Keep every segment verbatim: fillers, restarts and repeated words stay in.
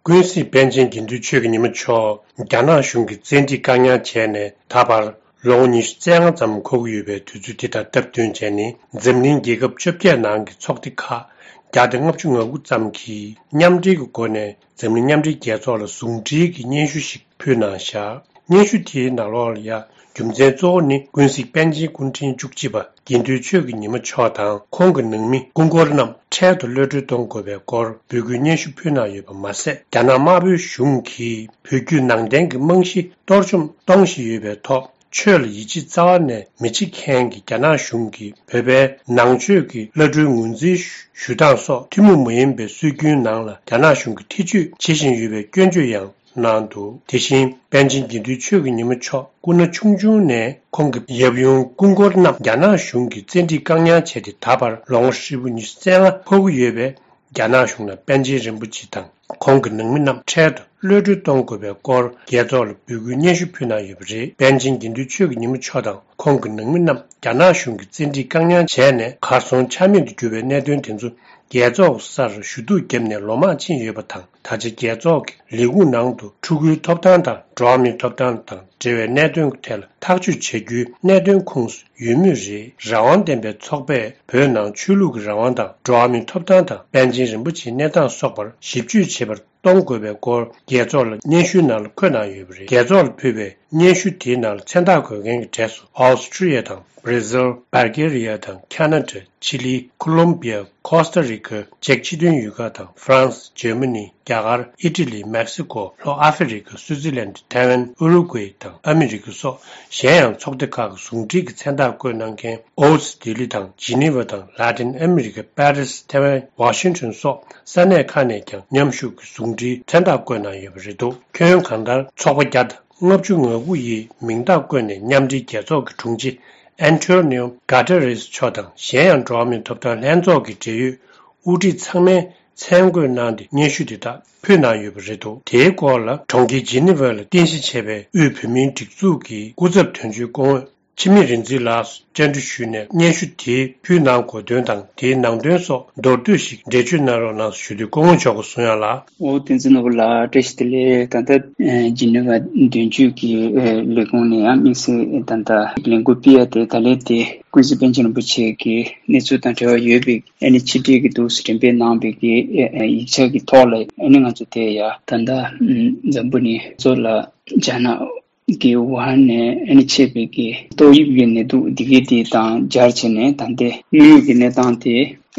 ཀུན་གཟིགས་པཎ་ཆེན་དགེ་འདུན་ཆོས་ཀྱི་ཉི་མ་མཆོག་རྒྱ་ནག་གཞུང་གིས་བཙན་ཁྲིད་བཀག་ཉར་བྱས་ནས་ད་བར་ལོ་ངོ་ཉི་ཤུ་རྩ་ལྔ་ཙམ་འཁོར་གྱི་ཡོད་པའི་དུས་ཚོད་དེ་དང་སྟབས་བསྟུན་བྱས་ནས། འཛམ་གླིང་རྒྱལ་ཁབ་བཅོ་བརྒྱད་ནང་གི་ཚོགས་སྡེ་ཁག་བརྒྱ་དང་ལྔ་བཅུ་ང་དགུ་ཙམ་གྱིས་མཉམ་འབྲེལ་གྱི་སྒོ་ནས་འཛམ་གླིང་མཉམ་འབྲེལ་རྒྱལ་ཚོགས་ལ་ཟུང་འབྲེལ་གྱི་སྙན་ཞུ་ཞིག་ཕུལ་གནང་བཞག་སྙན་ཞུ་དེའི་ནང་ལོགས་ལ་ཡ། རྒྱུ་མཚན་གཙོ་བོ་ནི་ཀུན་གཟིགས་པཎ་ཆེན་སྐུ་ཕྲེང་བཅུ་གཅིག་པ་དགེ་འདུན་ཆོས་ཀྱི་ཉི་མ་མཆོག་དང་ཁོང་གི་ནང་མི་སྐུ་འཁོར་རྣམས་འཕྲལ་དུ་གློད་གྲོལ་གཏོང་དགོས་པའི་སྐོར་འབོད་སྐུལ་སྙན་ཞུ་ཕུལ་གནང་ཡོད་པ་མ་ཟད། རྒྱ་ནག་དམར་པོའི་གཞུང་གིས་བོད་བརྒྱུད་ནང་བསྟན་གྱི་རྨང་གཞི་གཏོར་བཅོམ་གཏོང་བཞིན་ཡོད་པའི་ཐོག་ཆོས་ལ་ཡིད་ཆེས་རྩ་བ་ནས་མི་བྱེད་མཁན་གྱི་རྒྱ་ནག་གཞུང་གིས་བོད་པའི་ནང་ཆོས་ཀྱི་བླ་སྤྲུལ་ངོས་འཛིན་ཞུ་སྟངས་སོགས་ཐུན་མོང་མ་ཡིན་པའི་སྲོལ་རྒྱུན་ནང་ལ་རྒྱ་ནག་གཞུང་གིས་ཐེ་བྱུས་བྱེད་བཞིན་ཡོད་པའི་སྐྱོན་བརྗོད་ཡང་གནང་འདུག་དེ་བཞིན་པཎ་ཆེན་དགེ་འདུན་ཆོས་ཀྱི་ཉི་མ་མཆོག་སྐུ་ན་ཆུང་ཆུང་ནས་ཁོང་གི་ཡབ་ཡུམ་སྐུ་འཁོར་རྣམས་རྒྱ་ནག་གཞུང་གིས་བཙན་ཁྲིད་བཀག་ཉར་བྱས་ཏེ་ད་བར་ལོ་ངོ་ཧྲིལ་པོ་ཉི་ཤུ་རྩ་ལྔ་འཁོར་གྱི་ཡོད་པས། རྒྱ་ནག་གཞུང་ནས་པཎ་ཆེན་རིན་པོ་ཆེ་དང་ཁོང་གི་ནང་མི་རྣམས་འཕྲལ་དུ་གློད་གྲོལ་གཏོང་དགོས་པའི་སྐོར་རྒྱལ་ཚོགས་ལ་འབོད་སྐུལ་སྙན་ཞུ་ཕུལ་གནང་ཡོད་པ་རེད། པཎ་ཆེན་དགེ་འདུན་ཆོས་ཀྱི་ཉི་མ་མཆོག་དང་ཁོང་གི་ནང་མི་རྣམས་རྒྱ་ནག་གཞུང་གིས་བཙན་ཁྲིད་བཀག་ཉར་བྱས་ནས་གར་སོང་ཆ་མེད་དུ་གྱུར་པའི་གནད་དོན་དེ་ཚོ་རྒྱལ་ཚོགས་སར་ཞུ་གཏུག་བརྒྱབ་ནས་ལོ་མང་ཕྱིན་ཡོད་པ་དང་། ད་ཆ་རྒྱལ་ཚོགས་ཀྱི་ལས་ཁུངས་ནང་དུ་ཕྲུ་གུའི་ཐོབ་ཐང་དང་འགྲོ་བ་མིའི་ཐོབ་ཐང་དང་འབྲེལ་བའི་གནད་དོན་ཐད་ལ་ཐག་གཅོད་བྱ་རྒྱུའི་གནད་དོན་ཁོངས་སུ་ཡོད་མུས་རེད། རང་དབང་ལྡན་པའི་ཚོགས་པས་བོད་ནང་ཆོས་ལུགས་ཀྱི་རང་དབང་དང་འགྲོ་བ་མིའི་ཐོབ་ཐང་དང་པཎ་ཆེན་རིན་པོ་ཆེའི་གནས་སྟངས་སོགས་པར་ཞིབ་དཔྱོད་བྱེད་པར་གཏོང་དགོས་པའི་སྐོར་རྒྱལ་ཚོགས་ལ་སྙན་ཞུའི་ནང་ལ་འཁོད་གནང་ཡོད་པ་རེད། རྒྱལ་ཚོགས་ལ་ཕུལ་བའི་སྙན་ཞུ་དེའི་ནང་ལ་མཚན་རྟགས་འགོད་མཁན་གྱི་གྲས་སུ་ཨོ་སི་ཁྲུ་ལི་ཡ་དང་། བྷར་ཛིལ། བྷལ་གྷེ་རི་ཡ་དང་ཁ་ན་ཌ། ཆི་ལི། ཁོ་ལོམ་བི་ཡ། ཁོ་སྟ་རི་ཁ། ཅེཀ་སྤྱི་མཐུན་ཡུལ་ཁག་དང་། ཧྥ་རན་སི། འཇར་མ་ནི། རྒྱ་གར། ཨི་ཊ་ལི། མེག་སི་ཀོ། ལྷོ་ཨ་ཧྥེ་རི་ཁ། སུའུ་ཙི་ལན། ཐའེ་ཝན། ཨུ་རུ་ཀུའེ་དང་ཨ་མི་རི་ཀ་སོགས་གཞན་ཡང་ཚོགས་སྡེ་ཁག་གི་ཟུང་འབྲེལ་གྱི་མཚན་རྟགས་བཀོད་གནང་མཁན་ཨོ་སི་ལྡི་ལི་དང་ཇི་ནི་ཝ་དང་ལ་ཏིན་ཨ་མི་རི་ཀ། པེ་རི་སི། ཐའེ་ཝན། ཝ་ཤིང་ཊོན་སོགས་ས་གནས་ཁག་ནས་ཀྱང་མཉམ་ཞུགས་ཀྱི་ཟུང་འབྲེལ་མཚན་རྟགས་བཀོད་གནང་ཡོད་པ་རེད་འདུག་ཁྱོན་གང་ལྟར་ཚོགས་པ་བརྒྱ་དང་ལྔ་བཅུ་ང་དགུ་ཡིས་མིང་རྟགས་བཀོད་ནས་མཉམ་འབྲེལ་རྒྱལ་ཚོགས་ཀྱི་དྲུང་ཆེ་ཨན་ཊོ་ནིའོ་གྷ་ཏེ་རེས་མཆོག་དང་གཞན་ཡང་འགྲོ་བ་མིའི་ཐོབ་ཐང་ལྷན་ཚོགས་ཀྱི་འབྲེལ་ཡོད་དབུ་ཁྲིད་ཚང་མས་མཚན་བཀོད་གནང་སྟེ་སྙན་ཞུ་དེ་དག་ཕུལ་གནང་ཡོད་པ་རེད་འདུག་དེའི་སྐོར་ལ་གྲོང་ཁྱེར་ཇི་ནི་ཝར་ལ་རྟེན་གཞི་བྱས་པའི་དབུས་བོད་མིའི་སྒྲིག་འཛུགས་ཀྱི་སྐུ་ཚབ་དོན་གཅོད་སྐུ་ངོ་འཆི་མེད་རིག་འཛིན་ལགས་སུ་བཅར་འདྲི་ཞུས་ནས་སྙན་ཞུ་དེའི་ཕུལ་གནང་དགོས་དོན་དང་དེའི་ནང་དོན་སོགས་མདོར་བསྡུས་ཤིག་འགྲེལ་བརྗོད་གནང་རོགས་གནང་ཞུ་དུས་སྐུ་ངོ་མཆོག་གིས་གསུང་ཡ་ལ། ཨོ་བསྟན་འཛིན་ནོར་བུ་ལགས་བཀྲ་ཤིས་བདེ་ལེགས། ད་ལྟ་ཨེ་ཇི་ནི་ཝ་དོན་གཅོད་ཀྱི་ཨེ་ལས་ཁུངས་ནས་ཡང་དམིགས་བསལ་ད་ལྟ་ལས་འགུལ་སྤེལ་ཡ་དེ་ད་ལན་དེ་ཀུན་གཟིགས་པཎ་ཆེན་རིན་པོ་ཆེ་གི་གནས་ཚུལ་དང་འབྲེལ་བ་ཡོད་པའི་ཨ་ནི་ཆེད་སྒྲིག་གི་འདུག་སེ་འགྲེམས་སྤེལ་གནང་བའི་གི་ཨེ་ཨེ་ཡིག་ཆ་གི་ཐོག་ལ་ཨ་ནི་ང་ཚོ་དེ་ཡ་ད་ལྟ་ཨམ་འཛམ་བུ་གླིང་གཙོ་ལ་རྒྱ་ནག་གི་ཝུ་ཧན་ནས་ཨ་ནི་མཆེད་པའི་གི་ཏོག་དབྱིབས་ཀྱི་ནད་དུག་འདི་གའི་དེ་དང་སྦྱར་བྱས་ནས་ད་ལྟའི་དངོས་ཡོད་ཀྱི་གནས་སྟངས་དེ་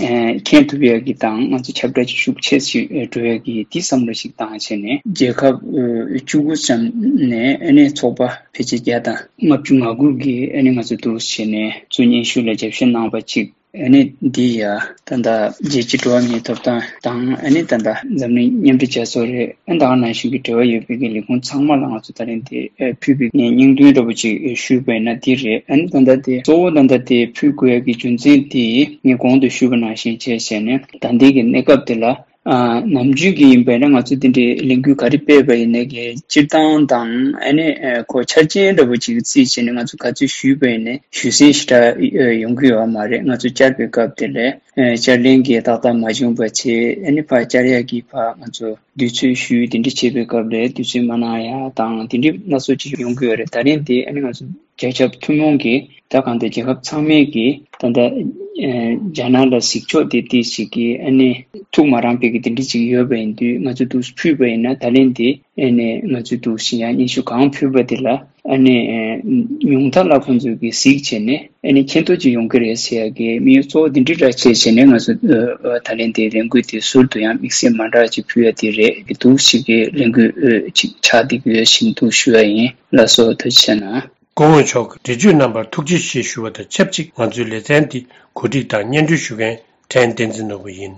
ཨེ་མཁྱེན་ཐུབ་ཡ་གི་དང་ང་ཚོ་ཁྱབ་བསྒྲགས་ཅིག་ཤུགས་ཆེ་ཞིག་འགྲོ་ཡ་གི་དེ་བསམ་བློ་ཞིག་བཏང་བྱས་ནས་རྒྱལ་ཁབ་ཨེ་བཅུ་དགུ་ཙམ་ནས་ཨ་ནི་ཚོགས་པ་ཕལ་ཆེར་བརྒྱ་དང་ལྔ་བཅུ་ང་དགུ་གིས་ཨ་ནི་ང་ཚོ་འདུག་བྱས་ནས་ཚུར་སྙན་ཞུ་ལ་རྒྱབ་སྐྱོར་གནང་བ་ཅིག་ཨ་ནི་འདི་ཡ་ད་ལྟ་རྒྱལ་སྤྱིའི་འགྲོ་བ་མིའི་ཐོབ་ཐང་དང་ཨ་ནི་ད་ལྟ་འཛམ་གླིང་མཉམ་འབྲེལ་རྒྱལ་ཚོགས་རེད། ཨ་ནི་ད་ག་ནང་བཞིན་གྱི་འབྲེལ་བ་ཡོད་པའི་གི་ལས་ཁུངས་ཚང་མ་ལ་ང་ཚོ་ད་རིང་འདི་ཨ་ཕུལ་བའི་ངས་སྙིང་དོན་འདྲ་པོ་ཅིག་ཞུས་པ་ཡིན་ན་འདི་རེད། ཨ་ནི་ད་ལྟ་དེ་གཙོ་བོ་ད་ལྟ་དེ་ཕུལ་དགོས་ཡ་གི་རྒྱུ་མཚན་དེ་ངས་གོང་དུ་ཞུས་པ་ནང་བཞིན་བྱས་བྱས་ནས་ད་ལྟའི་གི་གནས་སྐབས་དེ་ལ་ཨ་ནམ་རྒྱུན་གྱི་ཡིན་པས་ན་ང་ཚོ་འདི་འདྲའི་ལས་འགུལ་ག་རེ་སྤེལ་བ་ཡིན་ནའི་གི་སྤྱིར་བཏང་དང་ཨ་ནི་ཨ་ཁོ་འཆར་ཅན་འདྲ་པོ་ཅིག་རྩིས་བྱས་ནས་ང་ཚོ་ག་ཚོད་ཞུས་པ་ཡིན་ནའི་ཞུ་སེམས་ཞེ་དྲག་ཡོང་གི་ཡོད་མ་རེད། ང་ཚོ་བཅར་བའི་སྐབས་དེ་ལས་ཨ་བཅར་ལེན་གྱི་ཏག་ཏག་མ་བྱུང་བ་བྱས། ཨ་ནི་ཕར་བཅར་ཡག་གི་ཕར་ང་ཚོ་དུས་ཚོད་ཞུས་དེ་འདྲ་བྱེད་པའི་སྐབས་ལས་དུས་ཚོད་མ་གནང་ཡ་དང་དེ་འདྲ་སྣ་ཚོགས་ཅིག་ཡོང་གི་ཡོད་རེད། ད་རིང་དེ་ཨ་ནི་ང་ཚོ་རྒྱལ་ཁབ་ཐུན་མོང་གི་ད་གང་ལྟར་རྒྱལ་ཁབ་ཚང་མས་ཀྱི་ད་ལྟ་ཨེ་རྒྱ་ནག་ལ་གཟིགས་ཕྱོགས་དེ་དེ་ཞིག་གི་ཨ་ནི་ཐུགས་མ་རངས་པའི་གི་དེ་འདྲ་ཅིག་ཡོད་པ་ཡིན་དུས་ང་ཚོ་འདུག་ཕུལ་བ་ཡིན་ན་ད་ལན་དེ་ཨ་ནི་ང་ཚོ་འདུག་ཞིག་ཡང་སྙན་ཞུ་གང་ཕུལ་བ་དེ་ལ་ཨ་ནི་ཨེ་ཉུང་མཐའ་ལ་ཁོང་ཚོས་ཀྱི་གཟིགས་བྱས་ནས་ཨ་ནི་མཁྱེན་རྟོགས་ཅིག་ཡོང་གི་རེད་ཟེར་ཡ་གི་དམིགས་ཡུལ་གཙོ་བོ་དེ་འདྲ་ར་བྱས་བྱས་ནས་ང་ཚོ་ཨ་ཨ་ད་ལན་དེ་ལས་འགུལ་དེ་ཟུར་དུ་ཡང་དམིགས་བསལ་མ་འདྲ་ཅིག་ཕུལ་ཡ་དེ་རེད། འདུག་ཞིག་གི་ལས་འགུལ་ཨ་ཅིག་ཆགས་བསྡད་ཀྱི་ཡོད་བཞིན་འདུག་ཞུ་ཡ་ཡིན། ལགས་སོ། ཐུགས་རྗེ་ཆེ་གནང་། སྐུ་ངོ་མཆོག་གི་འགྲེལ་བརྗོད་གནང་བར་ཐུགས་རྗེ་ཆེ་ཞུ་བ་དང་ཆབས་ཅིག་ང་ཚོའི་ལེ་ཚན་འདི་གོ་སྒྲིག་དང་སྙན་སྒྲོན་ཞུ་མཁན་ཕྲན་བསྟན་འཛིན་ནོར་བུ་ཡིན།